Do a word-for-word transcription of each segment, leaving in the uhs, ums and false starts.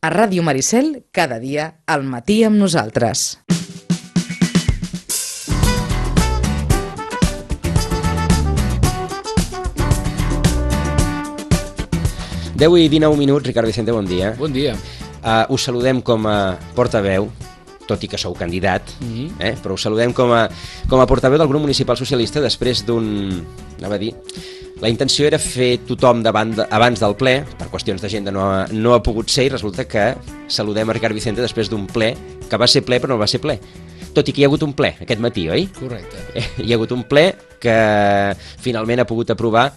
A Ràdio Maricel, cada dia, al matí amb nosaltres. deu i dinou minuts, Ricard Vicente, bon dia. Bon dia. Uh, us saludem com a portaveu, tot i que sou candidat, mm-hmm. eh? però us saludem com a, com a portaveu del grup municipal socialista després d'un... anava a dir... La intenció era fer tothom davant de, abans del ple, per qüestions d'agenda no, ha, no ha pogut ser, i resulta que saludem a Ricard Vicente després d'un ple que va ser ple però no va ser ple. Tot i que hi ha hagut un ple aquest matí, oi? Correcte. Eh, hi ha hagut un ple que finalment ha pogut aprovar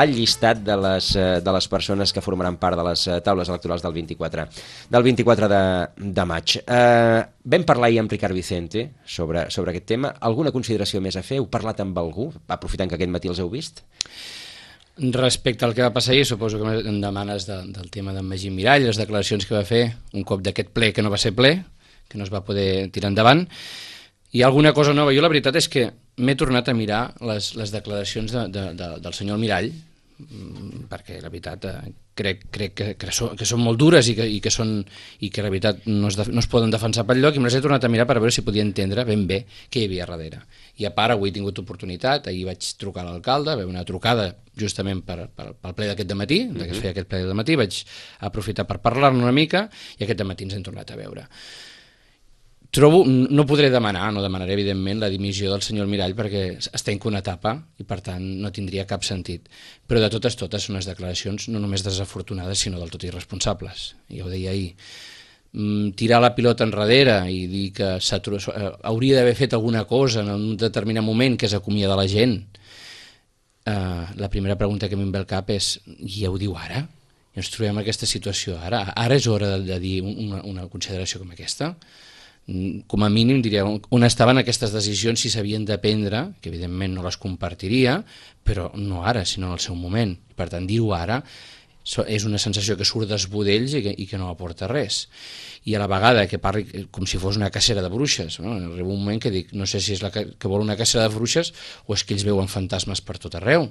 el llistat de les, de les persones que formaran part de les taules electorals del vint-i-quatre, del vint-i-quatre de, de maig. Eh, vam parlar ahir amb Ricard Vicente sobre, sobre aquest tema. Alguna consideració més a fer? Heu parlat amb algú, aprofitant que aquest matí els heu vist? Respecte al que va passar ahir, suposo que em demanes de, del tema d'en Magí Mirall, les declaracions que va fer un cop d'aquest ple que no va ser ple, que no es va poder tirar endavant. Hi ha alguna cosa nova? Jo la veritat és que m'he tornat a mirar les, les declaracions de, de, de, del senyor Mirall, perquè la veritat eh, crec, crec que, que, so, que són molt dures i que, i que, són, i que la veritat no es, de, no es poden defensar pel lloc, i me les he tornat a mirar per veure si podia entendre ben bé què hi havia darrere. I a part, avui he tingut oportunitat, ahir vaig trucar a l'alcalde, va haver una trucada justament per, per, pel ple d'aquest dematí, mm-hmm. de que es feia aquest ple del matí, vaig aprofitar per parlar-ne una mica, i aquest dematí ens hem tornat a veure. Trobo, no podré demanar, no demanaré evidentment la dimissió del senyor Mirall perquè està en una etapa i per tant no tindria cap sentit, però de totes totes són unes declaracions no només desafortunades sinó del tot irresponsables, ja ho deia ahir. Tirar la pilota enrere i dir que hauria d'haver fet alguna cosa en un determinat moment, que és acomiadar la gent, uh, la primera pregunta que m'hi ve al cap és: i ja ho diu ara? I ens trobem en aquesta situació ara? Ara és hora de, de dir una, una consideració com aquesta? Com a mínim diria on estaven aquestes decisions, si s'havien de prendre, que evidentment no les compartiria, però no ara, sinó en el seu moment. Per tant, dir-ho ara és una sensació que surt dels budells i que, i que no aporta res. I a la vegada que parli com si fos una cacera de bruixes, no? Arriba un moment que dic, no sé si és la que, que vol una cacera de bruixes o és que ells veuen fantasmes per tot arreu.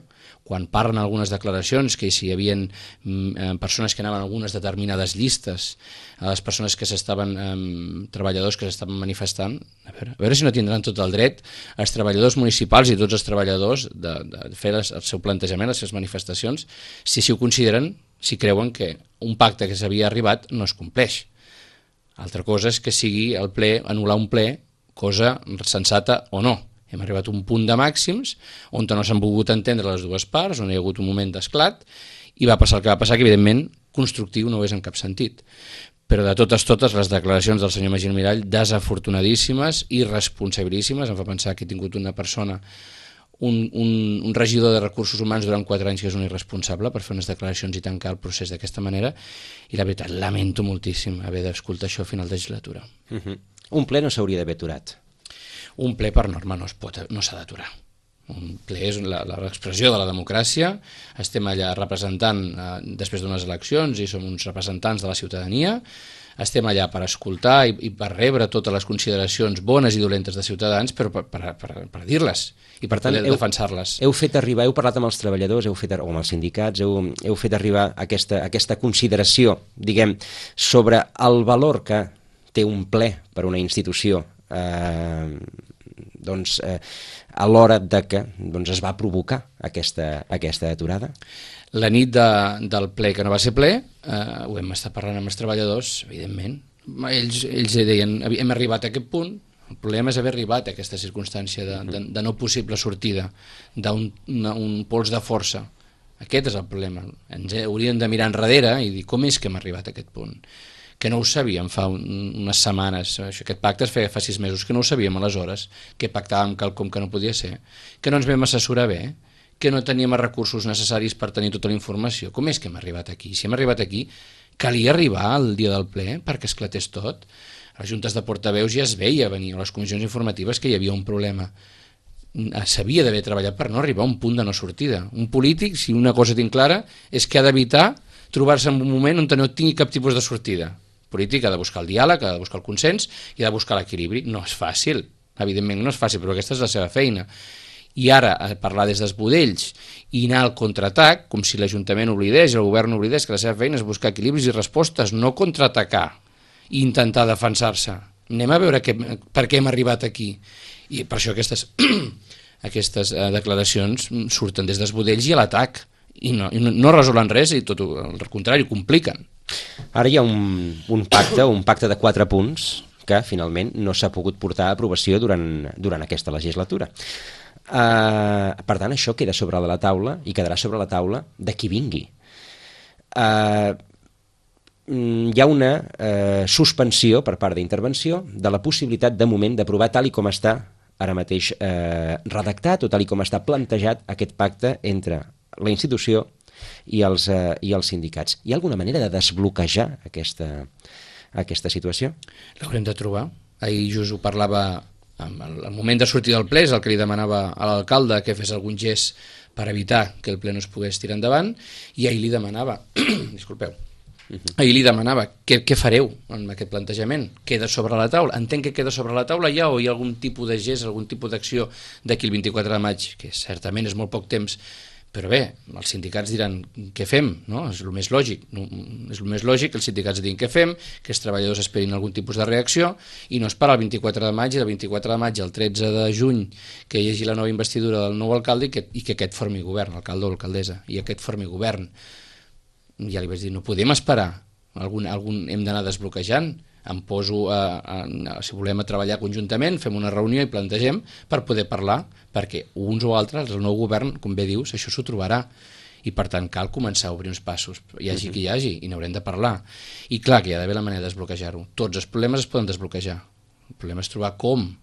Quan parlen algunes declaracions que si hi havia mm, persones que anaven a algunes determinades llistes, a les persones que s'estaven, eh, treballadors que s'estaven manifestant, a veure, a veure si no tindran tot el dret els treballadors municipals i tots els treballadors de, de fer les, el seu plantejament, les seves manifestacions, si si ho consideren, si creuen que un pacte que s'havia arribat no es compleix. Altra cosa és que sigui el ple, anul·lar un ple, cosa sensata o no. Hem arribat a un punt de màxims on no s'han volgut entendre les dues parts, on hi ha hagut un moment d'esclat, i va passar el que va passar, que evidentment constructiu no ho és en cap sentit. Però de totes totes les declaracions del senyor Magí Mirall desafortunadíssimes, irresponsabilíssimes. Em fa pensar que he tingut una persona, un, un, un regidor de recursos humans durant quatre anys que és un irresponsable per fer unes declaracions i tancar el procés d'aquesta manera, i la veritat, lamento moltíssim haver d'escoltar això a final de legislatura. Uh-huh. Un ple no s'hauria d'haver aturat. Un ple per norma no es pot, no s'ha d'aturar. Un ple és l'expressió de la democràcia, estem allà representant eh, després d'unes eleccions i som uns representants de la ciutadania, estem allà per escoltar i, i per rebre totes les consideracions bones i dolentes de ciutadans, però per, per, per, per dir-les i per tant defensar-les. Heu fet arribar, heu parlat amb els treballadors, heu fet, o amb els sindicats, heu, heu fet arribar aquesta, aquesta consideració, diguem, sobre el valor que té un ple per una institució, eh, doncs, eh, a l'hora de que doncs, es va provocar aquesta, aquesta aturada? La nit de, del ple que no va ser ple, eh, ho hem estat parlant amb els treballadors, evidentment. Ells, ells deien, hem arribat a aquest punt, el problema és haver arribat a aquesta circumstància de, de, de no possible sortida, d'un un pols de força. Aquest és el problema. Ens hauríem de mirar enrere i dir com és que hem arribat a aquest punt. Que no ho sabíem fa un, unes setmanes, aquest pacte es feia fa sis mesos, que no ho sabíem aleshores, que pactàvem quelcom que no podia ser, que no ens vam assessorar bé, que no teníem els recursos necessaris per tenir tota la informació. Com és que hem arribat aquí? Si hem arribat aquí, calia arribar al dia del ple perquè esclatés tot. A les juntes de portaveus ja es veia venir, a les comissions informatives, que hi havia un problema. S'havia d'haver treballat per no arribar a un punt de no sortida. Un polític, si una cosa tinc clara, és que ha d'evitar trobar-se en un moment on no tingui cap tipus de sortida. Polític ha de buscar el diàleg, ha de buscar el consens i ha de buscar l'equilibri. No és fàcil, evidentment no és fàcil, però aquesta és la seva feina. i ara a parlar des dels budells i anar al contraatac, com si l'Ajuntament oblidés i el govern oblidés que la seva feina és buscar equilibris i respostes, no contraatacar i intentar defensar-se. Anem a veure que, per què hem arribat aquí. I per això aquestes, aquestes uh, declaracions surten des dels budells i a l'atac i no, i no, no resolen res i tot el contrari, ho compliquen. Ara hi ha un, un pacte, un pacte de quatre punts que finalment no s'ha pogut portar a aprovació durant, durant aquesta legislatura. Uh, per tant, això queda sobre la taula i quedarà sobre la taula de qui vingui. Uh, hi ha una uh, suspensió per part d'intervenció de la possibilitat de moment d'aprovar tal i com està ara mateix uh, redactat o tal i com està plantejat aquest pacte entre la institució i els, uh, i els sindicats. Hi ha alguna manera de desbloquejar aquesta aquesta situació? L'haurem de trobar. Ahir just ho parlava, al moment de sortir del ple, és el que li demanava a l'alcalde que fes algun gest per evitar que el ple no es pogués tirar endavant, i ahir li demanava, disculpeu, uh-huh. ahir li demanava què, què fareu amb aquest plantejament? Queda sobre la taula? Entenc que queda sobre la taula ja, o hi ha algun tipus de gest, algun tipus d'acció d'aquí el vint-i-quatre de maig, que certament és molt poc temps, però bé, els sindicats diran què fem, no? És el més lògic, no? És el més lògic que els sindicats diguin què fem, que els treballadors esperin algun tipus de reacció i no esperar el vint-i-quatre de maig i del vint-i-quatre de maig al tretze de juny que hi hagi la nova investidura del nou alcalde i que, i que aquest formi govern, alcalde o alcaldessa, i aquest formi govern. Ja li vaig dir, no podem esperar, algun, algun hem d'anar desbloquejant. Em poso a, a, a, si volem a treballar conjuntament, fem una reunió i plantegem per poder parlar, perquè uns o altres, el nou govern, com bé dius, això s'ho trobarà i per tant cal començar a obrir uns passos, hi hagi qui hi hagi i n'haurem de parlar, i clar que hi ha d'haver la manera de desbloquejar-ho. Tots els problemes es poden desbloquejar, el problema és trobar com,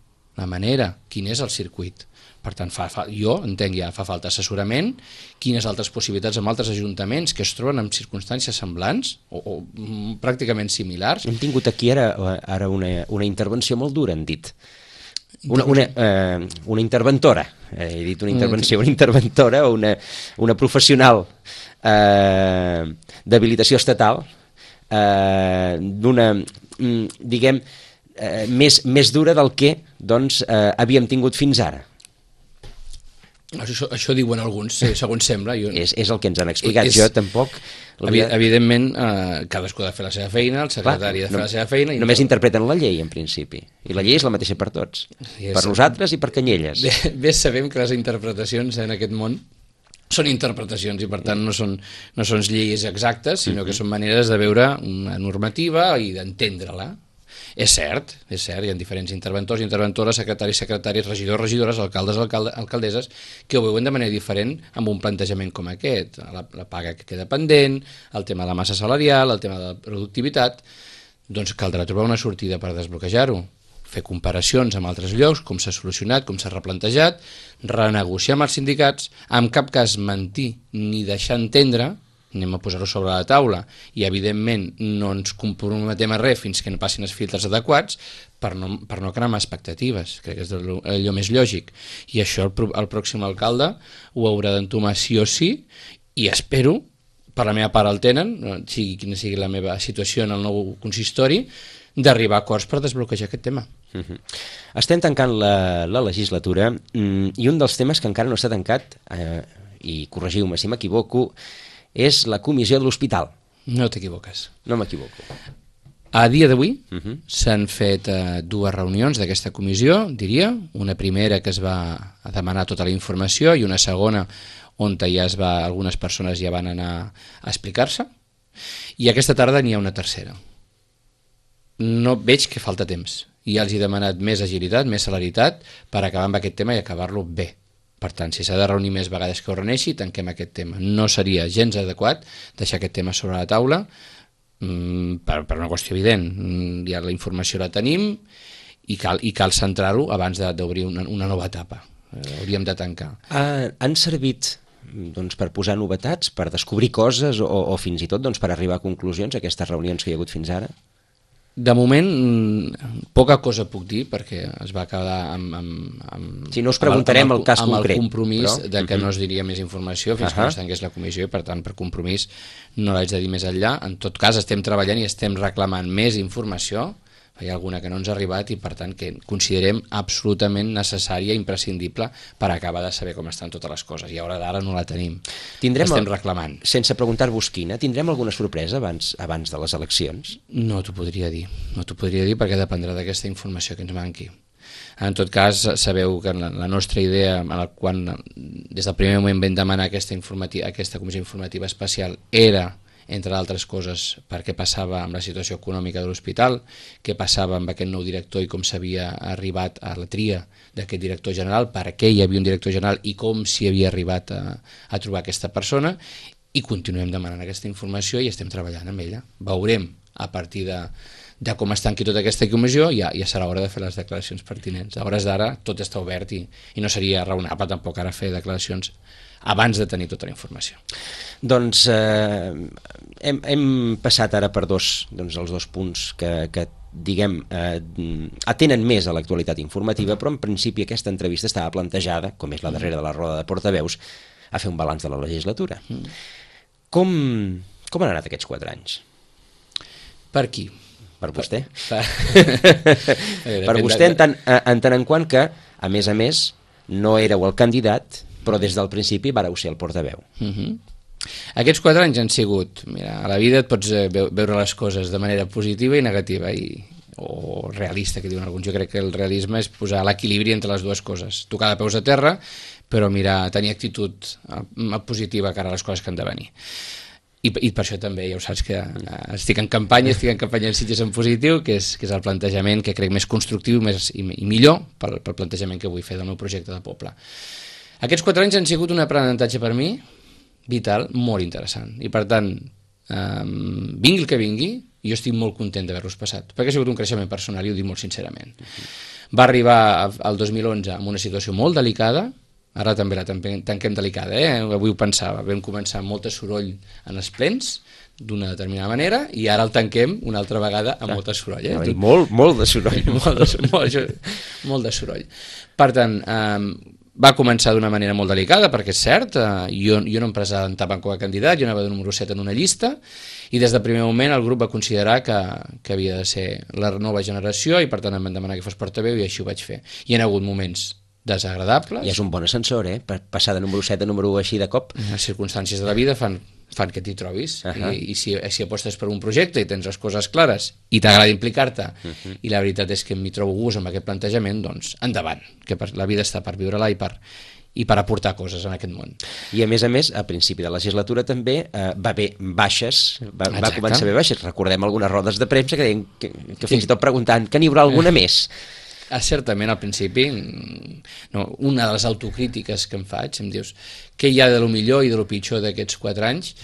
la manera, quin és el circuit. Per tant, fa, fa, jo entenc ja, fa falta assessorament, quines altres possibilitats amb altres ajuntaments que es troben en circumstàncies semblants o, o mm, pràcticament similars. Hem tingut aquí ara, ara una, una intervenció molt dura, han dit. Una, una, eh, una interventora, eh, he dit una intervenció, una interventora o una, una professional eh, d'habilitació estatal eh, d'una, diguem, eh, més, més dura del que doncs, eh, havíem tingut fins ara. Això, això diuen alguns, sí, segons sembla. Jo... És, és el que ens han explicat, és... jo tampoc... Evi evidentment, eh, cadascú ha de fer la seva feina, el secretari Clar, ha de fer no, la seva feina... I només no... interpreten la llei, en principi, i la llei és la mateixa per tots, sí, per nosaltres i per Canyelles. Bé, bé sabem que les interpretacions en aquest món són interpretacions i per tant no són, no són lleis exactes, sinó que són maneres de veure una normativa i d'entendre-la. És cert, és cert, hi ha diferents interventors, interventores, secretaris, secretaris, regidors, regidores, alcaldes, alcalde, alcaldesses, que ho veuen de manera diferent amb un plantejament com aquest, la, la paga que queda pendent, el tema de la massa salarial, el tema de la productivitat, doncs caldrà trobar una sortida per desbloquejar-ho, fer comparacions amb altres llocs, com s'ha solucionat, com s'ha replantejat, renegociar amb els sindicats, en cap cas mentir ni deixar entendre, anem a posar-ho sobre la taula i evidentment no ens comprometem a res fins que no passin els filtres adequats per no, per no cremar expectatives, crec que és allò, allò més lògic, i això el, el pròxim alcalde ho haurà d'entomar sí o sí, i espero, per la meva part el tenen, sigui quina sigui la meva situació en el nou consistori, d'arribar a acords per desbloquejar aquest tema. Uh-huh. Estem tancant la, la legislatura i un dels temes que encara no està tancat, eh, i corregiu-me si m'equivoco, és la comissió de l'hospital. No t'equivoques. No m'equivoco. A dia d'avui uh-huh. s'han fet eh, dues reunions d'aquesta comissió, diria. Una primera que es va demanar tota la informació i una segona on ja es va, algunes persones ja van anar a explicar-se. I aquesta tarda n'hi ha una tercera. No veig que falta temps. I ja els he demanat més agilitat, més celeritat per acabar amb aquest tema i acabar-lo bé. Per tant, si s'ha de reunir més vegades que ho reuneixi, tanquem aquest tema. No seria gens adequat deixar aquest tema sobre la taula mmm, per, per una qüestió evident. Ja la informació la tenim i cal, i cal centrar-ho abans d'obrir una, una nova etapa. Eh, hauríem de tancar. Ah, han servit doncs, per posar novetats, per descobrir coses o, o fins i tot doncs, per arribar a conclusions aquestes reunions que hi ha hagut fins ara? De moment, poca cosa puc dir, perquè es va quedar amb... amb, amb si no us preguntarem amb el, el cas amb concret. Amb el compromís però... de que uh-huh. no es diria més informació fins uh-huh. que no es tanqués la comissió, i per tant, per compromís no l'haig de dir més enllà. En tot cas, estem treballant i estem reclamant més informació hi ha alguna que no ens ha arribat i per tant que considerem absolutament necessària, imprescindible per acabar de saber com estan totes les coses, i a hora d'ara no la tenim. Tindrem Estem el... reclamant. Sense preguntar-vos quina, tindrem alguna sorpresa abans, abans de les eleccions? No t'ho podria dir, no t'ho podria dir perquè dependrà d'aquesta informació que ens manqui. En tot cas, sabeu que la, la nostra idea, quan des del primer moment vam demanar aquesta, aquesta comissió informativa especial, era, entre altres coses, per què passava amb la situació econòmica de l'hospital, què passava amb aquest nou director i com s'havia arribat a la tria d'aquest director general, per què hi havia un director general i com s'hi havia arribat a, a trobar aquesta persona, i continuem demanant aquesta informació i estem treballant amb ella. Veurem a partir de, de com es tanqui tota aquesta comissió, ja, ja serà hora de fer les declaracions pertinents. A hores d'ara tot està obert i, i no seria raonable tampoc ara fer declaracions abans de tenir tota la informació. Doncs eh, hem, hem passat ara per dos, doncs, els dos punts que, que diguem, eh, atenen més a l'actualitat informativa, però en principi aquesta entrevista estava plantejada, com és la darrera de la roda de portaveus, a fer un balanç de la legislatura. Mm. Com, com han anat aquests quatre anys? Per qui? Per vostè. Per, per... per vostè, en tant, en tant en quant que, a més a més, no éreu el candidat, però des del principi vareu ser el portaveu. Uh-huh. Aquests quatre anys han sigut, mira, a la vida et pots veure les coses de manera positiva i negativa, i, o realista, que diuen alguns. Jo crec que el realisme és posar l'equilibri entre les dues coses, tocar de peus a terra, però mirar, tenir actitud positiva cara a les coses que han de venir. I, i per això també, ja ho saps, que estic en campanya, estic en campanya en Sitges en positiu, que és, que és el plantejament que crec més constructiu més, i, i millor pel, pel plantejament que vull fer del meu projecte de poble. Aquests quatre anys han sigut un aprenentatge per mi vital, molt interessant. I per tant, eh, vingui el que vingui, jo estic molt content d'haver-los passat, perquè ha sigut un creixement personal i ho dic molt sincerament. Va arribar al dos mil onze amb una situació molt delicada, ara també la tanquem delicada, eh? Avui ho pensava, vam començar amb molt de soroll en els plens, d'una determinada manera, i ara el tanquem una altra vegada amb molt de soroll. Eh? Dir, molt, molt de soroll. molt, de, molt, molt de soroll. Per tant, eh, va començar d'una manera molt delicada, perquè és cert, eh, jo, jo no em presentava com a candidat, jo anava de número set en una llista, i des del primer moment el grup va considerar que, que havia de ser la nova generació, i per tant em van demanar que fos portaveu, i així ho vaig fer. Hi ha hagut moments desagradables. I és un bon ascensor, eh? Per passar de número set a número així de cop. Les circumstàncies de la vida fan, fan que t'hi trobis. Uh -huh. I, i si, si apostes per un projecte i tens les coses clares i t'agrada implicar-te, uh -huh. i la veritat és que m'hi trobo gust amb aquest plantejament, doncs endavant, que per, la vida està per viure-la i per, i per aportar coses en aquest món. I a més a més, a principi de la legislatura també eh, va haver baixes, va, va començar a haver baixes. Recordem algunes rodes de premsa que deien que, que fins sí. i tot preguntant que n'hi haurà alguna uh -huh. més. Ah, certament, al principi, no, una de les autocrítiques que em faig, em dius, què hi ha de lo millor i de lo pitjor d'aquests quatre anys?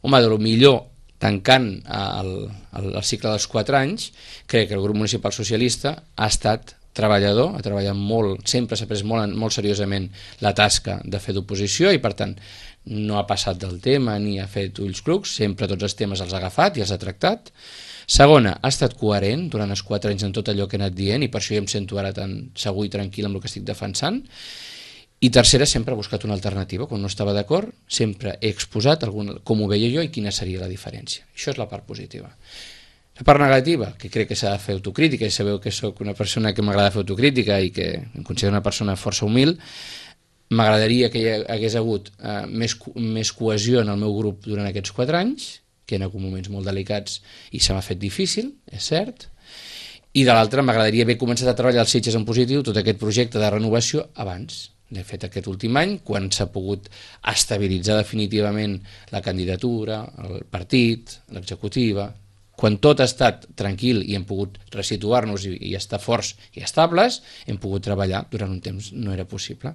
Home, de lo millor, tancant el, el, el cicle dels quatre anys, crec que el grup municipal socialista ha estat treballador, ha treballat molt, sempre s'ha pres molt, molt seriosament la tasca de fer d'oposició, i per tant no ha passat del tema ni ha fet ulls clucs, sempre tots els temes els ha agafat i els ha tractat. Segona, ha estat coherent durant els quatre anys en tot allò que he anat dient, i per això jo em sento ara tan segur i tranquil amb el que estic defensant. I tercera, sempre he buscat una alternativa. Quan no estava d'acord, sempre he exposat algun, com ho veia jo i quina seria la diferència. Això és la part positiva. La part negativa, que crec que s'ha de fer autocrítica, i sabeu que sóc una persona que m'agrada fer autocrítica i que em considero una persona força humil, m'agradaria que hi hagués hagut eh, més, més cohesió en el meu grup durant aquests quatre anys, que en alguns moments molt delicats i se m'ha fet difícil, és cert, i de l'altra m'agradaria haver començat a treballar als Sitges en positiu tot aquest projecte de renovació abans. L'he fet aquest últim any, quan s'ha pogut estabilitzar definitivament la candidatura, el partit, l'executiva, quan tot ha estat tranquil i hem pogut resituar-nos i, i estar forts i estables, hem pogut treballar durant un temps no era possible.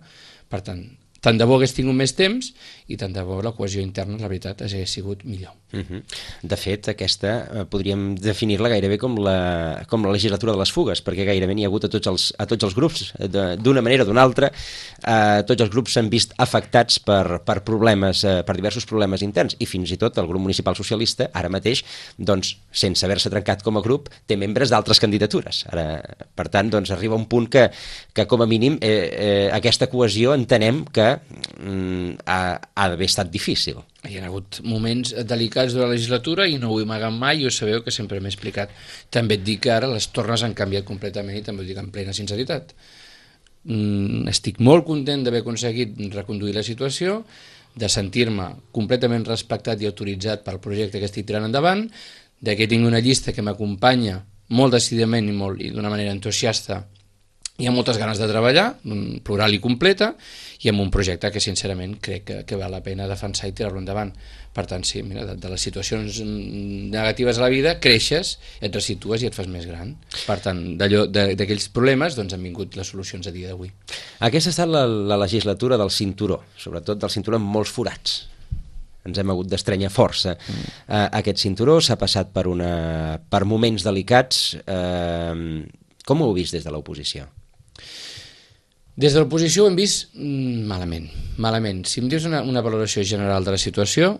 Per tant, tant de bo hagués tingut més temps i tant de bo la cohesió interna, la veritat, hagués sigut millor. Uh-huh. De fet, aquesta eh, podríem definir-la gairebé com la, com la legislatura de les fugues, perquè gairebé n'hi ha hagut a tots els, a tots els grups, d'una manera o d'una altra. Eh, tots els grups s'han vist afectats per, per problemes, eh, per diversos problemes interns, i fins i tot el grup municipal socialista, ara mateix, doncs, sense haver-se trencat com a grup, té membres d'altres candidatures. Ara, per tant, doncs, arriba un punt que, que com a mínim, eh, eh, aquesta cohesió entenem que mm, ha, ha d'haver estat difícil. Hi ha hagut moments delicats de la legislatura i no ho he amagat mai, i ho sabeu que sempre m'he explicat. També et dic que ara les tornes han canviat completament i també ho dic amb plena sinceritat. Mm, estic molt content d'haver aconseguit reconduir la situació, de sentir-me completament respectat i autoritzat pel projecte que estic tirant endavant, de que tinc una llista que m'acompanya molt decididament i, molt, i d'una manera entusiasta i amb moltes ganes de treballar, plural i completa, i amb un projecte que sincerament crec que, que val la pena defensar i tirar-lo endavant. Per tant, sí, mira, de, de les situacions negatives a la vida creixes, et resitues i et fas més gran. Per tant, d'aquells problemes doncs, han vingut les solucions a dia d'avui. Aquesta ha estat la, la legislatura del cinturó, sobretot del cinturó amb molts forats. Ens hem hagut d'estrenyar força. Mm. Uh, aquest cinturó s'ha passat per, una, per moments delicats. Uh, com ho heu vist des de l'oposició? Des de l'oposició ho hem vist mm, malament, malament. Si em dius una, una valoració general de la situació,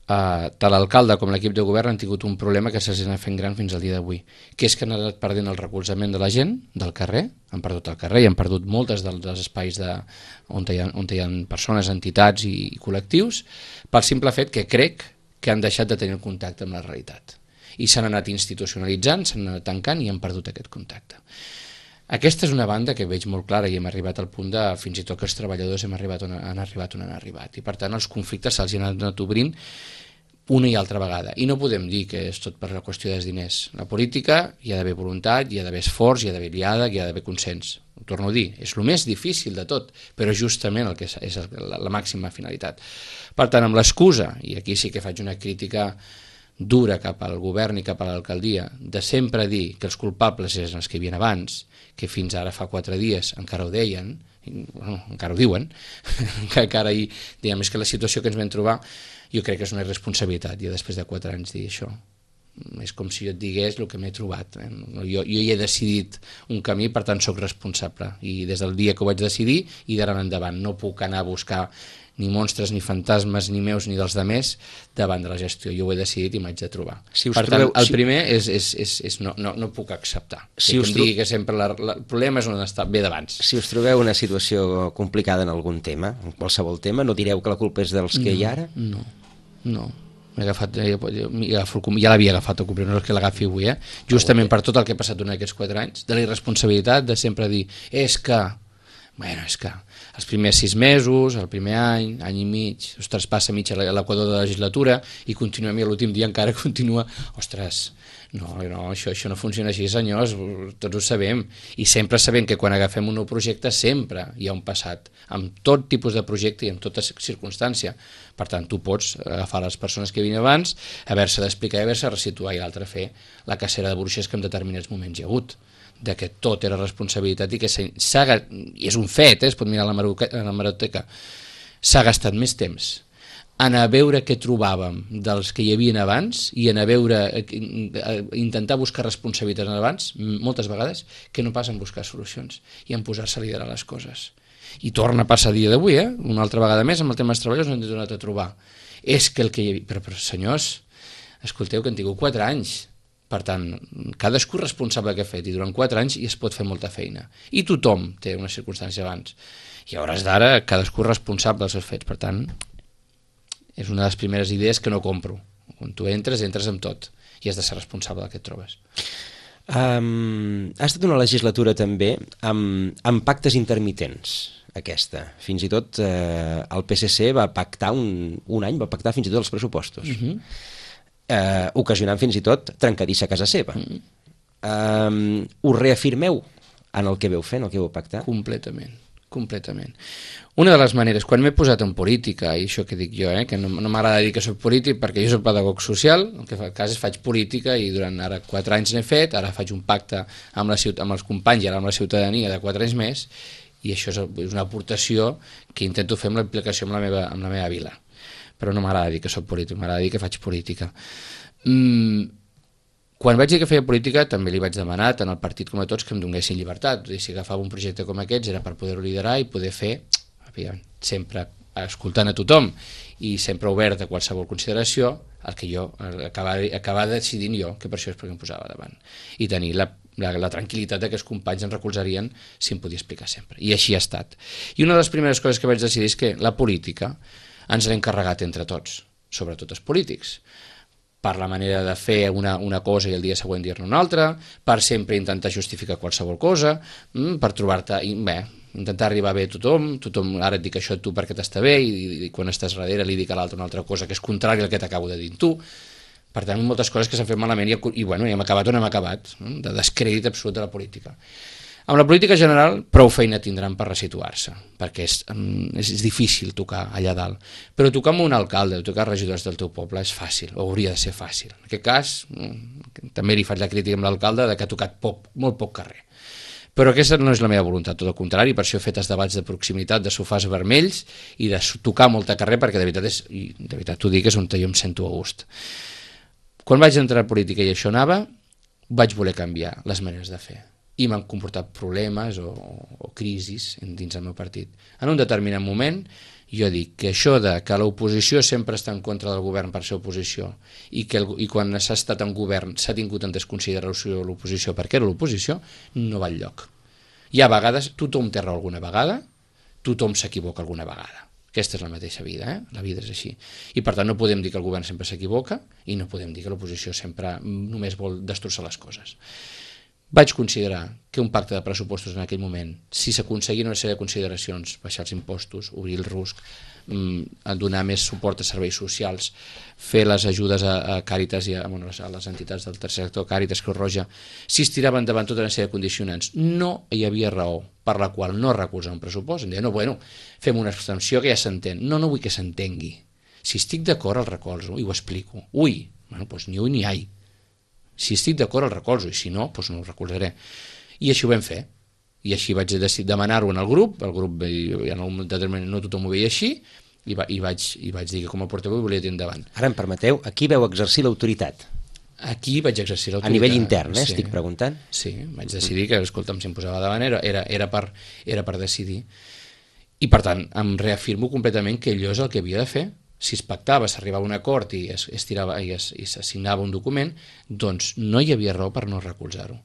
eh, tant l'alcalde com l'equip de govern han tingut un problema que s'ha anat fent gran fins al dia d'avui, que és que han anat perdent el recolzament de la gent del carrer, han perdut el carrer i han perdut moltes dels, dels espais de, on, hi ha, on hi ha persones, entitats i, i col·lectius, pel simple fet que crec que han deixat de tenir el contacte amb la realitat. I s'han anat institucionalitzant, s'han anat tancant i han perdut aquest contacte. Aquesta és una banda que veig molt clara i hem arribat al punt de fins i tot que els treballadors hem arribat on han arribat on han arribat. I per tant els conflictes se'ls han anat obrint una i altra vegada. I no podem dir que és tot per la qüestió dels diners. La política hi ha d'haver voluntat, hi ha d'haver esforç, hi ha d'haver diàleg, hi ha d'haver consens. Ho torno a dir, és el més difícil de tot, però justament el que és, és la, la màxima finalitat. Per tant, amb l'excusa, i aquí sí que faig una crítica dura cap al govern i cap a l'alcaldia, de sempre dir que els culpables eren els que hi havia abans, que fins ara fa quatre dies encara ho deien, i, bueno, encara ho diuen, que encara hi, diguem, és que la situació que ens vam trobar, jo crec que és una irresponsabilitat, ja després de quatre anys dir això. És com si jo et digués el que m'he trobat. Eh? Jo, jo hi he decidit un camí, per tant soc responsable, i des del dia que ho vaig decidir i d'ara en endavant no puc anar a buscar ni monstres, ni fantasmes, ni meus, ni dels demés davant de la gestió. Jo ho he decidit i m'haig de trobar. Si per trobeu, tant, el si... primer és, és, és, és no, no, no puc acceptar. Si que us em digui que sempre la, la, el problema és on està bé d'abans. Si us trobeu una situació complicada en algun tema, en qualsevol tema, no direu que la culpa és dels que no, hi ha ara? No, no. M'he agafat, ja, ja, ja l'havia agafat el complet, no és que l'agafi avui, eh? Justament per tot el que he passat durant aquests quatre anys, de la irresponsabilitat de sempre dir, és que, bueno, és que els primers sis mesos, el primer any, any i mig, ostres, passa mig a l'equador de la legislatura i continuem i l'últim dia encara continua, ostres, no, no això, això no funciona així, senyors, tots ho sabem, i sempre sabem que quan agafem un nou projecte sempre hi ha un passat, amb tot tipus de projecte i en tota circumstància. Per tant, tu pots agafar les persones que vinien abans, haver-se d'explicar i haver-se resituar, i l'altre fer la cacera de bruixes que en determinats moments hi ha hagut, de que tot era responsabilitat i que s'ha, i és un fet, eh, es pot mirar a la hemeroteca, s'ha gastat més temps en a veure què trobàvem dels que hi havia abans i en a veure, intentar buscar responsabilitats abans, moltes vegades, que no pas en buscar solucions i en posar-se a liderar les coses. I torna a passar a dia d'avui, eh? Una altra vegada més, amb el tema dels treballadors no ens hem donat a trobar. És que el que hi havia... Però, però senyors, escolteu que han tingut quatre anys. Per tant, cadascú és responsable que ha fet i durant quatre anys i es pot fer molta feina. I tothom té una circumstància abans. I a hores d'ara, cadascú és responsable dels seus fets. Per tant, és una de les primeres idees que no compro. Quan tu entres, entres amb tot i has de ser responsable del que et trobes. Um, ha estat una legislatura també amb, amb pactes intermitents, aquesta. Fins i tot eh, el P S C va pactar un, un any, va pactar fins i tot els pressupostos. Uh-huh. eh, ocasionant fins i tot trencadissa a casa seva. Uh-huh. um, us reafirmeu en el que veu fer, en el que veu pactar? Completament. completament. Una de les maneres, quan m'he posat en política, i això que dic jo, eh, que no, no m'agrada dir que soc polític perquè jo soc pedagog social, el que fa el cas és faig política i durant ara quatre anys n'he fet, ara faig un pacte amb, la ciutat, amb els companys i ara amb la ciutadania de quatre anys més, i això és una aportació que intento fer amb la implicació amb la meva, amb la meva vila. Però no m'agrada dir que soc polític, m'agrada dir que faig política. Mm, Quan vaig dir que feia política també li vaig demanar tant al partit com a tots que em donessin llibertat. Si agafava un projecte com aquests era per poder-ho liderar i poder fer, sempre escoltant a tothom i sempre obert a qualsevol consideració, el que jo, acabar, acabar decidint jo, que per això és perquè em posava davant, i tenir la, la, la tranquil·litat de que els companys em recolzarien si em podia explicar sempre, i així ha estat. I una de les primeres coses que vaig decidir és que la política ens l'hem carregat entre tots, sobretot els polítics, per la manera de fer una, una cosa i el dia següent dir-ne una altra, per sempre intentar justificar qualsevol cosa, per trobar-te, bé, intentar arribar bé a tothom, tothom ara et dic això a tu perquè t'està bé, i, i quan estàs darrere li dic a l'altre una altra cosa que és contrària al que t'acabo de dir tu. Per tant, moltes coses que s'han fet malament i, i bueno, i hem acabat on hem acabat, de descrèdit absolut de la política. Amb la política general, prou feina tindran per resituar-se, perquè és, és, és difícil tocar allà dalt. Però tocar amb un alcalde, tocar regidors del teu poble és fàcil, o hauria de ser fàcil. En aquest cas, també li faig la crítica amb l'alcalde de que ha tocat poc, molt poc carrer. Però aquesta no és la meva voluntat, tot el contrari, per això he fet els debats de proximitat, de sofàs vermells i de tocar molta carrer, perquè de veritat, és, i de veritat t'ho dic, és on jo em sento a gust. Quan vaig entrar a política i això anava, vaig voler canviar les maneres de fer. I m'han comportat problemes o, o crisis dins el meu partit. En un determinat moment, jo dic que això de que l'oposició sempre està en contra del govern per ser oposició i que el, i quan s'ha estat en govern s'ha tingut en desconsideració l'oposició perquè era l'oposició, no va enlloc. Hi ha vegades, tothom té raó alguna vegada, tothom s'equivoca alguna vegada. Aquesta és la mateixa vida, eh? La vida és així. I per tant no podem dir que el govern sempre s'equivoca i no podem dir que l'oposició sempre només vol destrossar les coses. Vaig considerar que un pacte de pressupostos en aquell moment, si s'aconseguien una sèrie de consideracions, baixar els impostos, obrir el rusc, donar més suport a serveis socials, fer les ajudes a, a Càritas i a, bueno, a les entitats del tercer sector, Càritas, Creu Roja, si es tiraven endavant tota una sèrie de condicionants, no hi havia raó per la qual no recolzar un pressupost. Em deia, no, bueno, fem una abstenció que ja s'entén. No, no vull que s'entengui. Si estic d'acord el recolzo i ho explico. Ui, bueno, doncs ni ui ni ai. Si estic d'acord el recolzo i si no, doncs no el recolzaré. I així ho vam fer. I així vaig decidir demanar-ho en el grup, el grup en un determinat no tothom ho veia així, i, va, i, vaig, i vaig dir que com a portaveu volia tirar endavant. Ara em permeteu, aquí veu exercir l'autoritat. Aquí vaig exercir l'autoritat. A nivell intern, eh, sí. Estic preguntant. Sí, vaig decidir que, escolta'm, si em posava davant era, era, era, per, era per decidir. I per tant, em reafirmo completament que allò és el que havia de fer. Si es pactava, s'arribava a un acord i es, es tirava, i es, i s'assignava un document, doncs no hi havia raó per no recolzar-ho.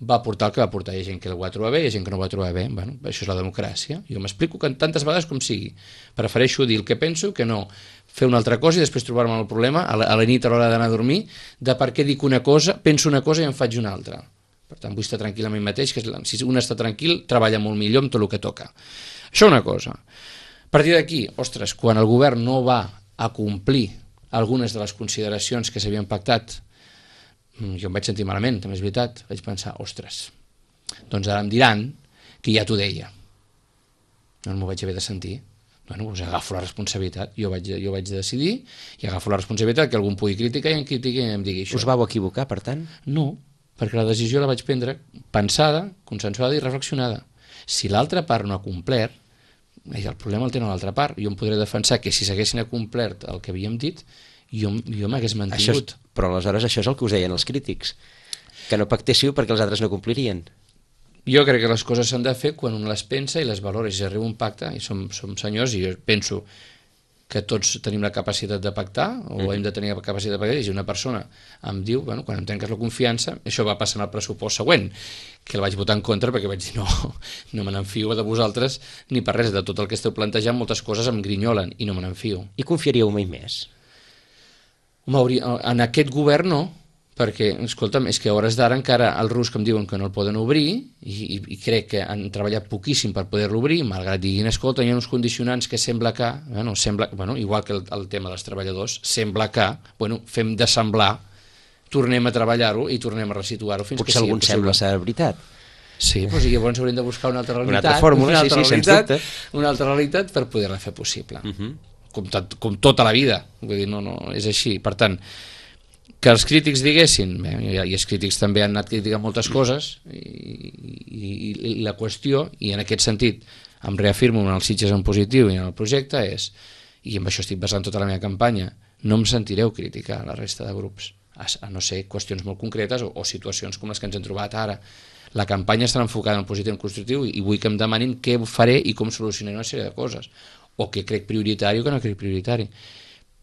Va portar el que va portar. Hi ha gent que ho va trobar bé, hi ha gent que no ho va trobar bé. Bueno, això és la democràcia. Jo m'explico que tantes vegades com sigui. Prefereixo dir el que penso que no fer una altra cosa i després trobar-me el problema a la, a la nit a l'hora d'anar a dormir de per què dic una cosa, penso una cosa i en faig una altra. Per tant, vull estar tranquil amb mi mateix, que si un està tranquil, treballa molt millor amb tot el que toca. Això una cosa. A partir d'aquí, ostres, quan el govern no va a complir algunes de les consideracions que s'havien pactat, jo em vaig sentir malament, també és veritat, vaig pensar, ostres, doncs ara em diran que ja t'ho deia. No m'ho vaig haver de sentir. Bueno, doncs agafo la responsabilitat. Jo vaig, jo vaig decidir i agafo la responsabilitat que algú em pugui criticar i em critiqui i em digui això. Us vau equivocar, per tant? No, perquè la decisió la vaig prendre pensada, consensuada i reflexionada. Si l'altra part no ha complert, el problema el tenen l'altra part. Jo em podré defensar que si s'haguessin complert el que havíem dit, jo, jo m'hagués mantingut. És, però aleshores això és el que us deien els crítics, que no pactéssiu perquè els altres no complirien. Jo crec que les coses s'han de fer quan un les pensa i les valora. Si arriba un pacte, i som, som senyors, i jo penso que tots tenim la capacitat de pactar, o mm. hem de tenir la capacitat de pactar, i si una persona em diu, bueno, quan em trenques la confiança, això va passar en el pressupost següent, que el vaig votar en contra perquè vaig dir no, no me n'enfio de vosaltres ni per res, de tot el que esteu plantejant moltes coses em grinyolen i no me n'enfio. I confiaríeu mai més? Home, en aquest govern no, perquè, escolta'm, és que a hores d'ara encara el rus que em diuen que no el poden obrir i, i, i crec que han treballat poquíssim per poder-lo obrir, malgrat diguin, escolta, hi ha uns condicionants que sembla que, bueno, sembla, bueno igual que el, el tema dels treballadors, sembla que, bueno, fem de semblar, tornem a treballar-ho i tornem a resituar-ho fins Potser que sigui algun possible. sembla ser veritat. Sí, doncs llavors hauríem de buscar una altra realitat, una altra fórmula, una altra sí, sí, realitat, sens dubte. Una altra realitat per poder-la fer possible. Uh -huh. com, tot, com tota la vida, vull dir, no, no, és així. Per tant, que els crítics diguessin, bé, i els crítics també han anat criticant moltes coses, i, i, i la qüestió, i en aquest sentit em reafirmo en els Sitges en positiu i en el projecte, és, i amb això estic basant tota la meva campanya, no em sentireu criticar a la resta de grups, a, a no ser qüestions molt concretes o, o situacions com les que ens hem trobat ara. La campanya estarà enfocada en el positiu i en el constructiu, i vull que em demanin què faré i com solucionaré una sèrie de coses, o què crec prioritari o què no crec prioritari.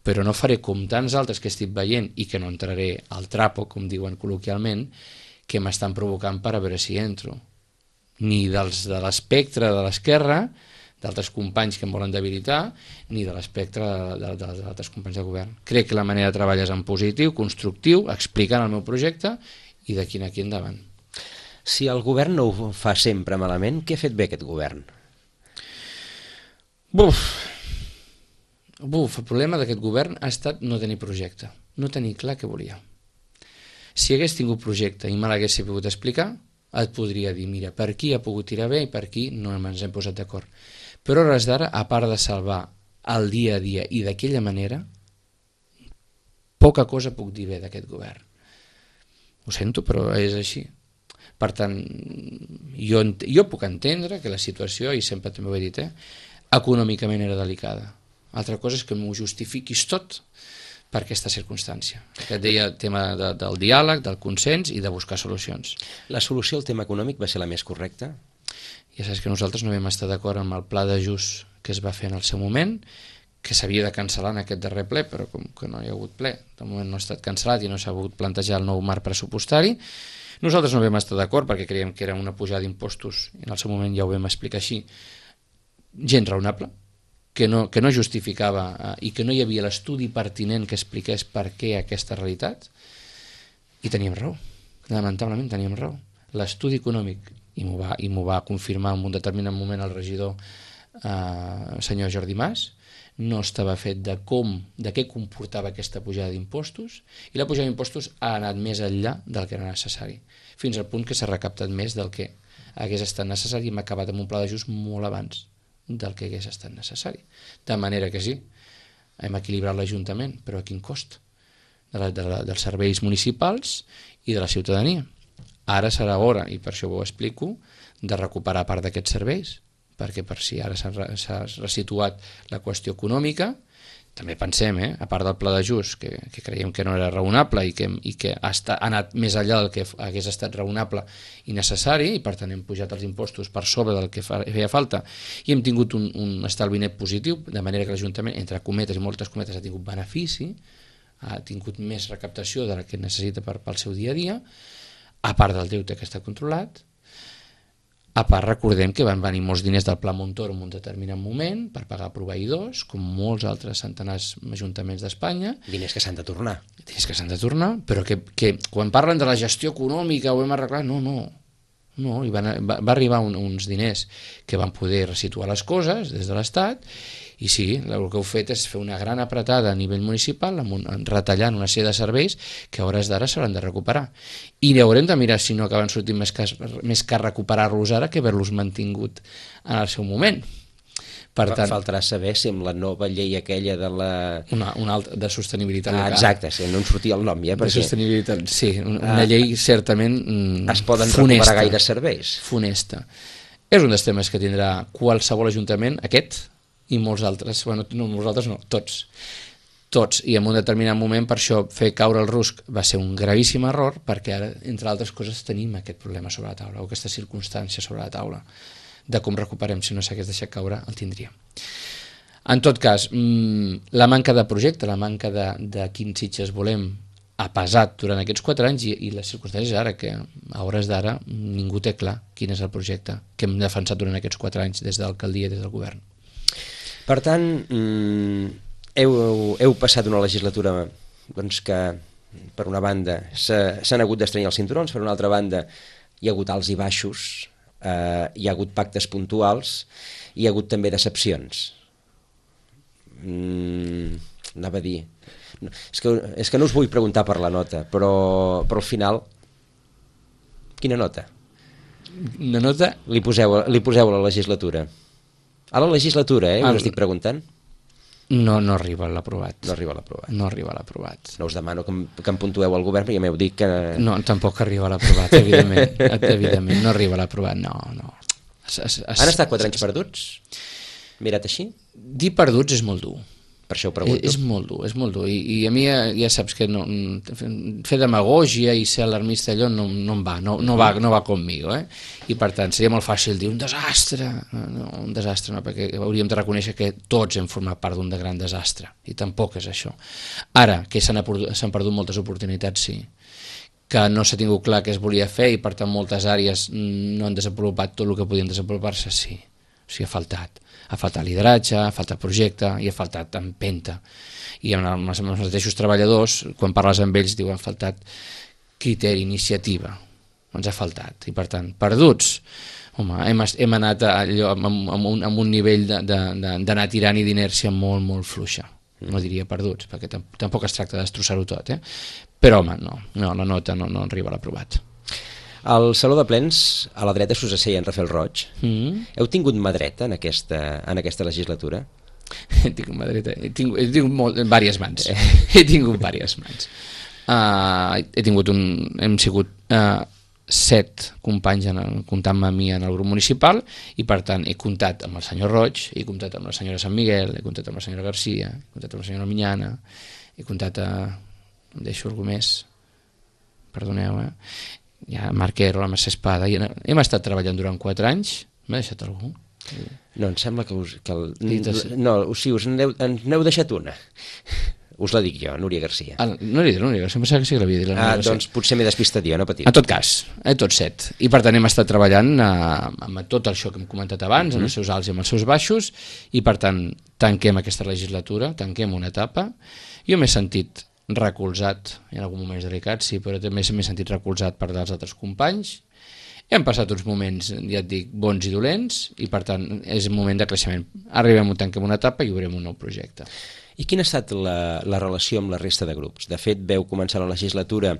però no faré com tants altres que estic veient i que no entraré al trapo, com diuen col·loquialment, que m'estan provocant per a veure si entro. Ni dels de l'espectre de l'esquerra, d'altres companys que em volen debilitar, ni de l'espectre de, de, de, d'altres companys de govern. Crec que la manera de treballar és en positiu, constructiu, explicant el meu projecte i d'aquí en aquí endavant. Si el govern no ho fa sempre malament, què ha fet bé aquest govern? Buf! Buf, el problema d'aquest govern ha estat no tenir projecte, no tenir clar què volia. Si hagués tingut projecte i me l'hagués pogut explicar, et podria dir, mira, per aquí ha pogut tirar bé i per aquí no ens hem posat d'acord. Però a hores d'ara, a part de salvar el dia a dia i d'aquella manera, poca cosa puc dir bé d'aquest govern. Ho sento, però és així. Per tant, jo, jo puc entendre que la situació, i sempre també ho he dit, eh, econòmicament era delicada. Altra cosa és que m'ho justifiquis tot per aquesta circumstància. Que et deia el tema de, del diàleg, del consens i de buscar solucions. La solució al tema econòmic va ser la més correcta? Ja saps que nosaltres no vam estar d'acord amb el pla d'ajust que es va fer en el seu moment, que s'havia de cancel·lar en aquest darrer ple, però com que no hi ha hagut ple, de moment no ha estat cancel·lat i no s'ha pogut plantejar el nou marc pressupostari. Nosaltres no vam estar d'acord perquè creiem que era una pujada d'impostos, i en el seu moment ja ho vam explicar així, gens raonable, que no, que no justificava eh, i que no hi havia l'estudi pertinent que expliqués per què aquesta realitat, i teníem raó, lamentablement teníem raó. L'estudi econòmic, i m'ho va, i m'ho va confirmar en un determinat moment el regidor eh, senyor Jordi Mas, no estava fet de com, de què comportava aquesta pujada d'impostos, i la pujada d'impostos ha anat més enllà del que era necessari, fins al punt que s'ha recaptat més del que hagués estat necessari i hem acabat amb un pla d'ajust molt abans del que hagués estat necessari. De manera que sí, hem equilibrat l'Ajuntament, però a quin cost? De la, de la, dels serveis municipals i de la ciutadania. Ara serà hora, i per això ho explico, de recuperar part d'aquests serveis, perquè per si ara s'ha resituat la qüestió econòmica, també pensem, eh, a part del pla d'ajust, que, que creiem que no era raonable i que, i que ha, estat, ha anat més enllà del que hagués estat raonable i necessari, i per tant hem pujat els impostos per sobre del que fa, feia falta, i hem tingut un, un estalvi net positiu, de manera que l'Ajuntament, entre cometes i moltes cometes, ha tingut benefici, ha tingut més recaptació de la que necessita per, pel seu dia a dia, a part del deute que està controlat. A part, recordem que van venir molts diners del Pla Montoro en un determinat moment per pagar proveïdors, com molts altres centenars ajuntaments d'Espanya. Diners que s'han de tornar. Diners que s'han de tornar, però que, que quan parlen de la gestió econòmica ho hem arreglat, no, no. no i van, va, va arribar un, uns diners que van poder resituar les coses des de l'Estat, i sí, el que heu fet és fer una gran apretada a nivell municipal, amb un, retallant una sèrie de serveis que a hores d'ara s'hauran de recuperar. I haurem de mirar si no acaben sortint més car, més car recuperar-los ara que haver-los mantingut en el seu moment. Per tant, faltarà saber si amb la nova llei aquella de la... Una, una altra de sostenibilitat ah, local. Exacte, sí, no en sortia el nom ja. Perquè... De sostenibilitat, sí, una ah, llei certament mm, es poden funesta, recuperar gaire serveis. Funesta. És un dels temes que tindrà qualsevol ajuntament, aquest, i molts altres, bueno, no molts altres no, tots, tots, i en un determinat moment per això fer caure el rusc va ser un gravíssim error, perquè ara, entre altres coses, tenim aquest problema sobre la taula, o aquesta circumstància sobre la taula, de com recuperem, si no s'hagués deixat caure, el tindríem. En tot cas, la manca de projecte, la manca de, de quins Sitges volem, ha pesat durant aquests quatre anys, i, i les circumstàncies ara, que a hores d'ara ningú té clar quin és el projecte que hem defensat durant aquests quatre anys des de l'alcaldia i des del govern. Per tant, heu, heu passat una legislatura doncs, que, per una banda, s'han hagut d'estrenyar els cinturons, per una altra banda, hi ha hagut alts i baixos, eh, hi ha hagut pactes puntuals, hi ha hagut també decepcions. Mm, anava a dir... No, és, que, és que no us vull preguntar per la nota, però, però al final, quina nota? Una nota? Li poseu, li poseu a la legislatura. A la legislatura, eh? Us estic preguntant. No, no arriba a l'aprovat. No arriba a l'aprovat. No arriba a l'aprovat. No us demano que em, que em puntueu al govern, perquè ja m'heu dit que... No, tampoc arriba a l'aprovat, evidentment. Evidentment, no arriba a l'aprovat, no, no. Es, es, es, Han estat quatre anys perduts? Mirat així? Dir perduts és molt dur. per això ho pregunto. És molt dur, és molt dur, i, i a mi ja, ja saps que no, fer demagògia i ser alarmista allò no, no em va, no, no va, no va conmigo, eh? I per tant seria molt fàcil dir un desastre, no, un desastre no, perquè hauríem de reconèixer que tots hem format part d'un gran desastre, i tampoc és això. Ara, que s'han perdut moltes oportunitats, sí, que no s'ha tingut clar què es volia fer i per tant moltes àrees no han desenvolupat tot el que podien desenvolupar-se, sí, o sigui, ha faltat. Ha faltat lideratge, ha faltat projecte i ha faltat empenta. I amb els mateixos treballadors, quan parles amb ells, diuen ha faltat criteri, iniciativa. Ens ha faltat. I per tant, perduts, home, hem, hem anat allò, amb, amb, un, amb un nivell d'anar tirant i d'inèrcia molt, molt fluixa. No diria perduts, perquè tampoc es tracta de destrossar-ho tot, eh? Però, home, no, no la nota no, no arriba a l'aprovat. Al Saló de Plens, a la dreta s'us asseia en Rafael Roig. Mm. Heu tingut mà dreta en aquesta, en aquesta legislatura? He tingut mà dreta, he tingut, he tingut molt, diverses mans. He tingut diverses mans. Uh, he tingut un... Hem sigut uh, set companys en, comptant-me a mi en el grup municipal i per tant he comptat amb el senyor Roig, he comptat amb la senyora Sant Miguel, he comptat amb la senyora Garcia, he comptat amb la senyora Minyana, he comptat a... em deixo algú més, perdoneu, eh? Ja Marquero, la Mercè Espada, i hem estat treballant durant quatre anys. M'ha deixat algú? No, em sembla que us... Que el, no, sí, us n'heu deixat una. Us la dic jo, Núria Garcia. Ah, no li dic Núria Garcia, em pensava que sí que l'havia dit. Ah, doncs potser m'he despistat jo, no patiu. En tot cas, eh, tots set. I per tant hem estat treballant eh, amb tot això que hem comentat abans, mm-hmm. amb els seus alts i amb els seus baixos, i per tant tanquem aquesta legislatura, tanquem una etapa. Jo m'he sentit recolzat, en algun moments delicats, sí, però també m'he sentit recolzat per dels altres companys. Hem passat uns moments, ja et dic, bons i dolents, i per tant és un moment de creixement. Arribem, tanquem una etapa i obrem un nou projecte. I quina ha estat la, la relació amb la resta de grups? De fet, veu començar la legislatura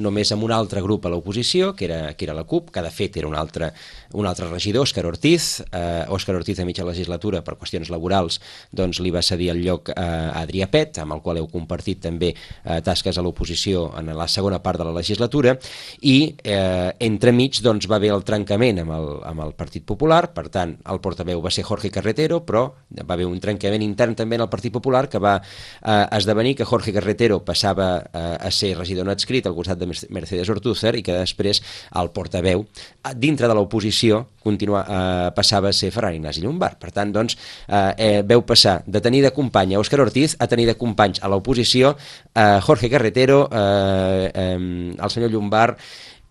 només amb un altre grup a l'oposició, que era, que era la CUP, que de fet era un altre, un altre regidor, Òscar Ortiz. Eh, Òscar Ortiz a mitja legislatura, per qüestions laborals, doncs li va cedir el lloc a Adrià Pet, amb el qual heu compartit també eh, tasques a l'oposició en la segona part de la legislatura, i eh, entremig doncs, va haver el trencament amb el, amb el Partit Popular, per tant, el portaveu va ser Jorge Carretero, però va haver un trencament intern també en el Partit Popular que va eh, esdevenir que Jorge Carretero passava eh, a ser regidor no adscrit al costat de Mercedes Ortúzar i que després el portaveu, dintre de l'oposició, continua, eh, passava a ser Ferran Ignasi Llombart. Per tant, doncs, eh, eh, veu passar de tenir de company a Òscar Ortiz a tenir de companys a l'oposició eh, Jorge Carretero, eh, eh, el senyor Llombart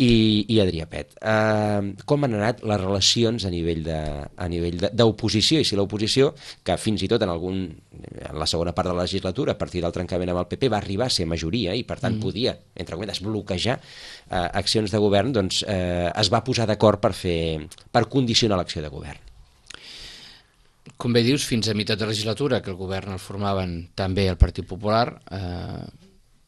i, i Adrià Pet. Uh, com han anat les relacions a nivell de, a nivell d'oposició, i si l'oposició, que fins i tot en algun en la segona part de la legislatura, a partir del trencament amb el P P, va arribar a ser majoria i per tant mm. podia, entre cometes, bloquejar uh, accions de govern, doncs uh, es va posar d'acord per fer, per condicionar l'acció de govern. Com bé dius, fins a meitat de legislatura, que el govern el formaven també el Partit Popular, eh,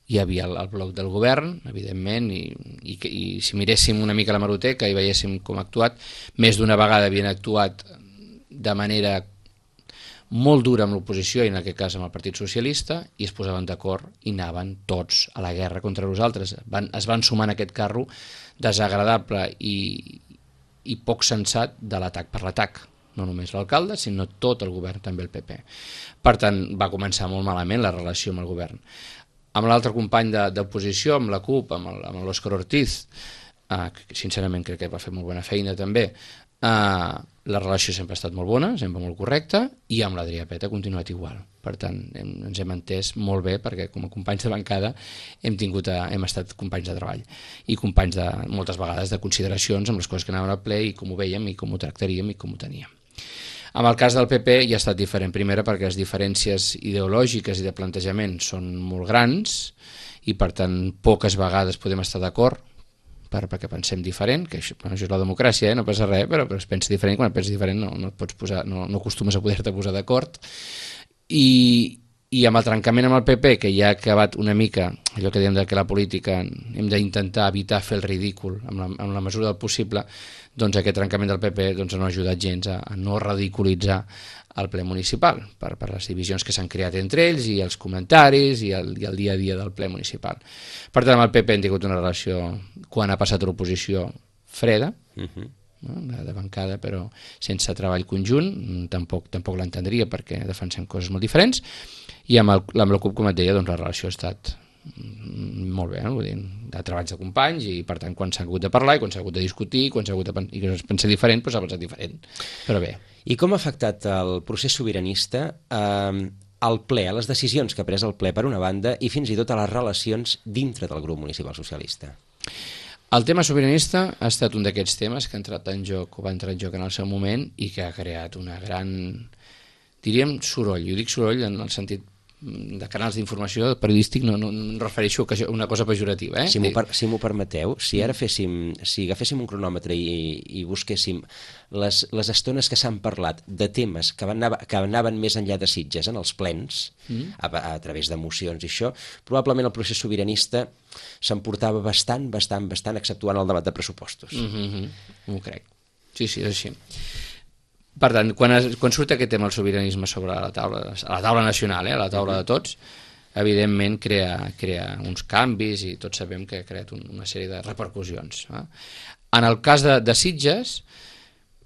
hi havia el, el bloc del govern, evidentment, i, i, i si miréssim una mica la hemeroteca i veiéssim com ha actuat, més d'una vegada havien actuat de manera molt dura amb l'oposició, i en aquest cas amb el Partit Socialista, i es posaven d'acord i anaven tots a la guerra contra nosaltres. Van, es van sumar en aquest carro desagradable i, i poc sensat de l'atac per l'atac. No només l'alcalde, sinó tot el govern, també el P P. Per tant, va començar molt malament la relació amb el govern. Amb l'altre company d'oposició, amb la CUP, amb l'Òscar Ortiz, eh, que sincerament crec que va fer molt bona feina també, eh, la relació sempre ha estat molt bona, sempre molt correcta, i amb l'Adrià Pet ha continuat igual. Per tant, hem, ens hem entès molt bé, perquè com a companys de bancada hem, tingut a, hem estat companys de treball i companys de, moltes vegades de consideracions amb les coses que anaven al ple i com ho vèiem i com ho tractaríem i com ho teníem. Amb el cas del P P ja ha estat diferent, primera perquè les diferències ideològiques i de plantejament són molt grans i per tant poques vegades podem estar d'acord per, perquè pensem diferent, que això, bueno, això és la democràcia, eh? No passa res, però, però es pensa diferent, quan et penses diferent no, no, et pots posar, no, no acostumes a poder-te posar d'acord. I, i amb el trencament amb el P P, que ja ha acabat una mica allò que diem que la política hem d'intentar evitar fer el ridícul amb la, amb la mesura del possible, doncs aquest trencament del P P doncs, no ha ajudat gens a, a no ridiculitzar el ple municipal per, per les divisions que s'han creat entre ells i els comentaris i el, i el dia a dia del ple municipal. Per tant, amb el P P hem tingut una relació, quan ha passat a l'oposició, freda, uh-huh. no? de, de bancada, però sense treball conjunt, tampoc, tampoc l'entendria perquè defensem coses molt diferents, i amb, el, amb la CUP, com et deia, doncs la relació ha estat molt bé, no? Vull dir, de treballs de companys, i per tant quan s'ha hagut de parlar i quan s'ha hagut de discutir quan s'ha hagut de pen i que es pensa diferent, doncs s'ha pensat diferent, però bé. I com ha afectat el procés sobiranista eh, al ple, a les decisions que ha pres el ple per una banda i fins i tot a les relacions dintre del grup municipal socialista? El tema sobiranista ha estat un d'aquests temes que ha entrat en joc, o va entrar en joc en el seu moment, i que ha creat una gran, diríem, soroll. Jo dic soroll en el sentit de canals d'informació periodístic, no, no, no em refereixo a una cosa pejorativa. Eh? Si m'ho per, si m'ho permeteu, si ara féssim, si agaféssim un cronòmetre i, i busquéssim les, les estones que s'han parlat de temes que, van anar, que anaven més enllà de Sitges en els plens, mm. a, a través d'emocions i això, probablement el procés sobiranista s'emportava bastant, bastant, bastant, exceptuant el debat de pressupostos. Mm-hmm. M'ho crec. Sí, sí, és així. Per tant, quan, es, quan surt aquest tema del sobiranisme sobre la taula, a la taula nacional, eh, a la taula de tots, evidentment crea, crea uns canvis, i tots sabem que ha creat un, una sèrie de repercussions. Eh? En el cas de, de Sitges,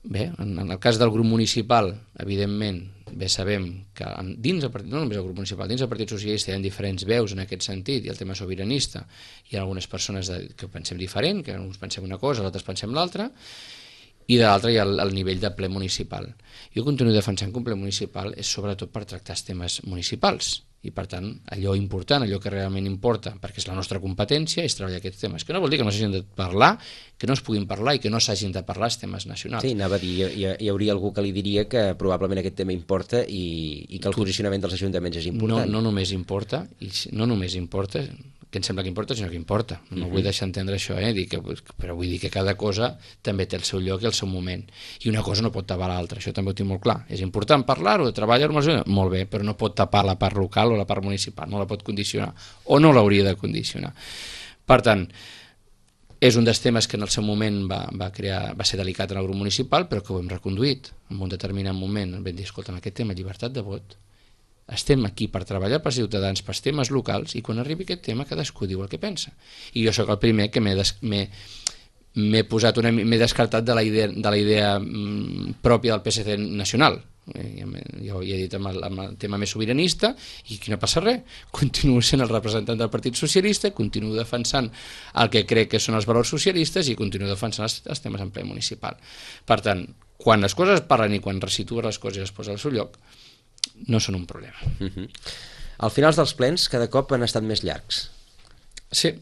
bé, en, en el cas del grup municipal, evidentment, bé sabem que dins el partit, no només el grup municipal, dins el Partit Socialista hi ha diferents veus en aquest sentit, i el tema sobiranista, hi ha algunes persones de, que pensem diferent, que uns pensem una cosa, els altres pensem l'altra, i de l'altre hi ha el, el nivell de ple municipal. Jo continuo defensant que un ple municipal és sobretot per tractar els temes municipals, i per tant allò important, allò que realment importa, perquè és la nostra competència, és treballar aquests temes, que no vol dir que no s'hagin de parlar, que no es puguin parlar i que no s'hagin de parlar els temes nacionals. Sí, anava a dir, hi, hi hauria algú que li diria que probablement aquest tema importa i, i que el posicionament dels ajuntaments és important. No, no només importa, i no només importa, que em sembla que importa, sinó que importa. No uh-huh. vull deixar entendre això, eh? Dir que, però vull dir que cada cosa també té el seu lloc i el seu moment. I una cosa no pot tapar l'altra, això també ho tinc molt clar. És important parlar-ho, treballar-ho, molt bé, però no pot tapar la part local o la part municipal, no la pot condicionar, o no l'hauria de condicionar. Per tant, és un dels temes que en el seu moment va, va, crear, va ser delicat en el grup municipal, però que ho hem reconduït en un determinat moment. Vam dir, escolta'm, aquest tema, llibertat de vot, estem aquí per treballar pels ciutadans, pels temes locals, i quan arribi aquest tema cadascú diu el que pensa. I jo sóc el primer que m'he des, m'he posat una, m'he descartat de la idea, de la idea mm, pròpia del P S C nacional. Eh, jo ja he dit amb el, amb el tema més sobiranista, i aquí no passa res. Continuo sent el representant del Partit Socialista, continuo defensant el que crec que són els valors socialistes, i continuo defensant els, els temes en ple municipal. Per tant, quan les coses parlen i quan resituen les coses i es posen al seu lloc, no són un problema. Uh-huh. Al final dels plens cada cop han estat més llargs. Sí.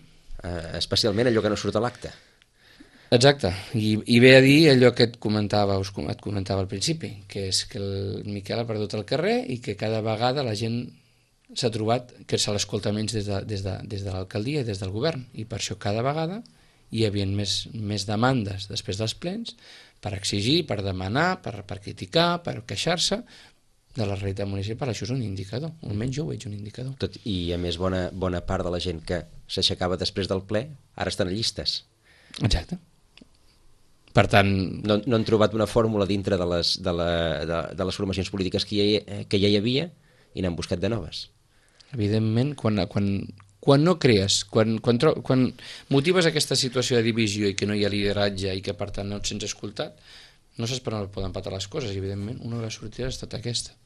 Uh, especialment allò que no surt a l'acte. Exacte, I, i ve a dir allò que et comentava, us, et comentava al principi, que és que el Miquel ha perdut el carrer i que cada vegada la gent s'ha trobat que se l'escolta menys des de, des de, des de l'alcaldia i des del govern, i per això cada vegada hi havia més, més demandes després dels plens per exigir, per demanar, per, per criticar, per queixar-se de la realitat municipal. Això és un indicador, almenys jo ho veig un indicador. Tot, I a més bona, bona part de la gent que s'aixecava després del ple ara estan a llistes. Exacte. Per tant... No, no han trobat una fórmula dintre de les, de la, de, de les formacions polítiques que ja, que ja hi havia, i n'han buscat de noves. Evidentment, quan, quan, quan no crees, quan, quan, quan motives aquesta situació de divisió i que no hi ha lideratge i que per tant no et sents escoltat, no saps per on poden patar les coses, i evidentment una de les sortides ha estat aquesta.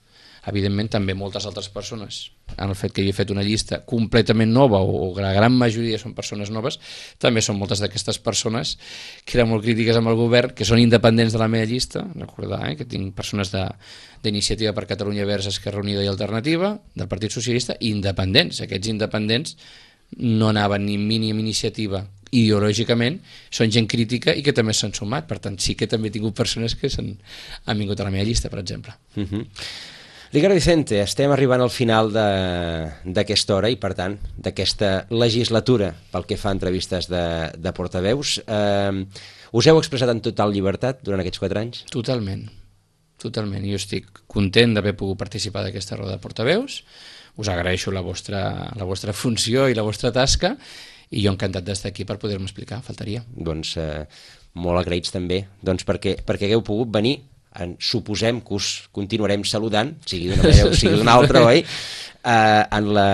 Evidentment també moltes altres persones, en el fet que hi he fet una llista completament nova, o la gran majoria són persones noves, també són moltes d'aquestes persones que eren molt crítiques amb el govern, que són independents de la meva llista. Recordar eh, que tinc persones d'Iniciativa per Catalunya Verds, Esquerra Unida i Alternativa, del Partit Socialista, independents. Aquests independents no anaven ni mínim iniciativa ideològicament, són gent crítica i que també s'han sumat. Per tant, sí que també he tingut persones que han vingut a la meva llista, per exemple. Uh-huh. Ricardo Vicente, estem arribant al final d'aquesta hora i, per tant, d'aquesta legislatura pel que fa a entrevistes de, de portaveus. Eh, us heu expressat en total llibertat durant aquests quatre anys? Totalment, totalment. Jo estic content d'haver pogut participar d'aquesta roda de portaveus. Us agraeixo la vostra, la vostra funció i la vostra tasca, i jo encantat d'estar aquí per poder-me explicar, faltaria. Doncs eh, molt agraïts també, doncs perquè, perquè hagueu pogut venir en, suposem que us continuarem saludant, sigui d'una manera o sigui d'una altra, oi? Uh, en, la,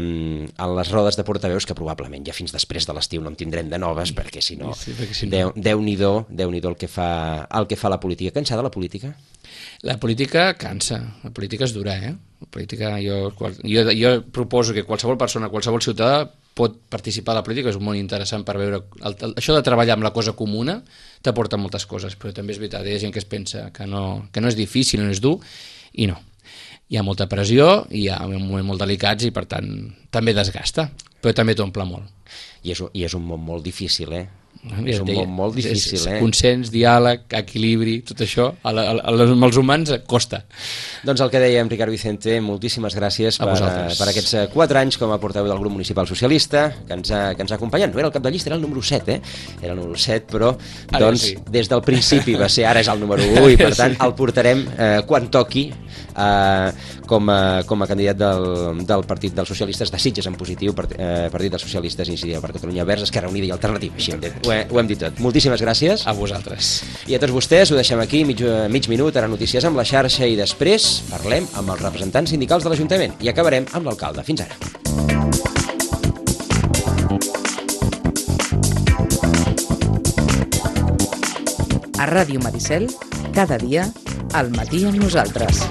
en les rodes de portaveus, que probablement ja fins després de l'estiu no en tindrem de noves, perquè si no, sí, perquè si no... Déu, Déu-n'hi-do, Déu-n'hi-do el, que fa, el que fa la política. Cansada la política? La política cansa, la política és dura, eh? La política, jo, jo, jo proposo que qualsevol persona, qualsevol ciutadà pot participar a la política, és un món interessant per veure... El, el, això de treballar amb la cosa comuna t'aporta moltes coses, però també és veritat, hi ha gent que es pensa que no, que no és difícil, no és dur, i no. Hi ha molta pressió, hi ha un moment molt delicats i per tant també desgasta, però també t'omple molt. I és, I és un món molt difícil, eh? Ja és un deia, món molt difícil, és, eh? Consens, diàleg, equilibri, tot això, a la, a la, amb els humans costa. Doncs el que dèiem, Ricard Vicente, moltíssimes gràcies per, per aquests quatre anys com a portaveu del grup municipal socialista que ens ha, que ens ha acompanyat. No era el cap de llista, era el número set, eh? Era el número set, però doncs, sí. Des del principi va ser, ara és el número u, i per tant sí. El portarem eh, quan toqui eh, com, a, com a candidat del, del Partit dels Socialistes de Sitges en positiu, part, eh, Partit dels Socialistes Iniciativa per Catalunya Verds, Esquerra Unida i Alternativa. Així ho, he, ho hem dit tot. Moltíssimes gràcies. A vosaltres. I a tots vostès ho deixem aquí, mig, mig minut, ara notícies amb la xarxa i després parlem amb els representants sindicals de l'Ajuntament i acabarem amb l'alcalde. Fins ara. A Ràdio Maricel, cada dia, al matí amb nosaltres.